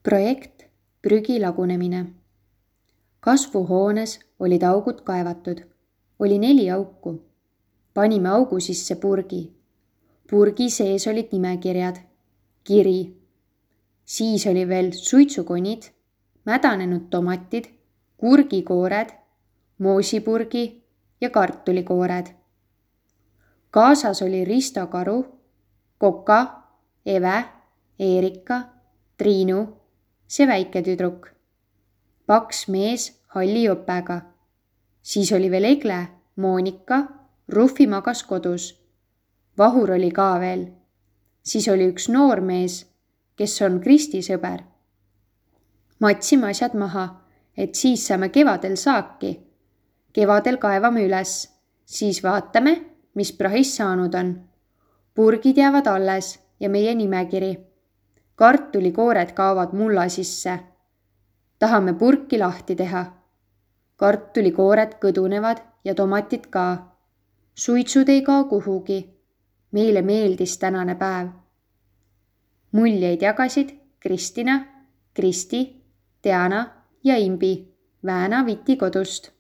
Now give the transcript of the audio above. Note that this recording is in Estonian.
Projekt Prügi lagunemine. Kasvuhoones olid augud kaevatud. Oli 4 auku. Panime augu sisse purgi. Purgi sees olid nimekirjad. Kiri. Siis oli veel suitsukonid, mädanenud tomatid, kurgikoored, moosipurgi ja kartulikoored. Kaasas oli Risto Karu, Koka, Eve, Eerika, Triinu, see väike tüdruk. Paks mees halli jopega. Siis oli veel Egle, Moonika, Rufi magas kodus. Vahur oli ka veel. Siis oli üks noor mees, kes on Kristi sõber. Matsime asjad maha, et siis saame kevadel saaki. Kevadel kaevame üles, siis vaatame, mis prahis saanud on. Purgid jäävad alles ja meie nimekiri. Kartulikoored kaovad mulla sisse. Tahame purki lahti teha. Kartulikoored kõdunevad ja tomatid ka. Suitsud ei kao kuhugi. Meile meeldis tänane päev. Muljeid jagasid Kristina, Kristi, Diana ja Imbi Vääna Viti kodust.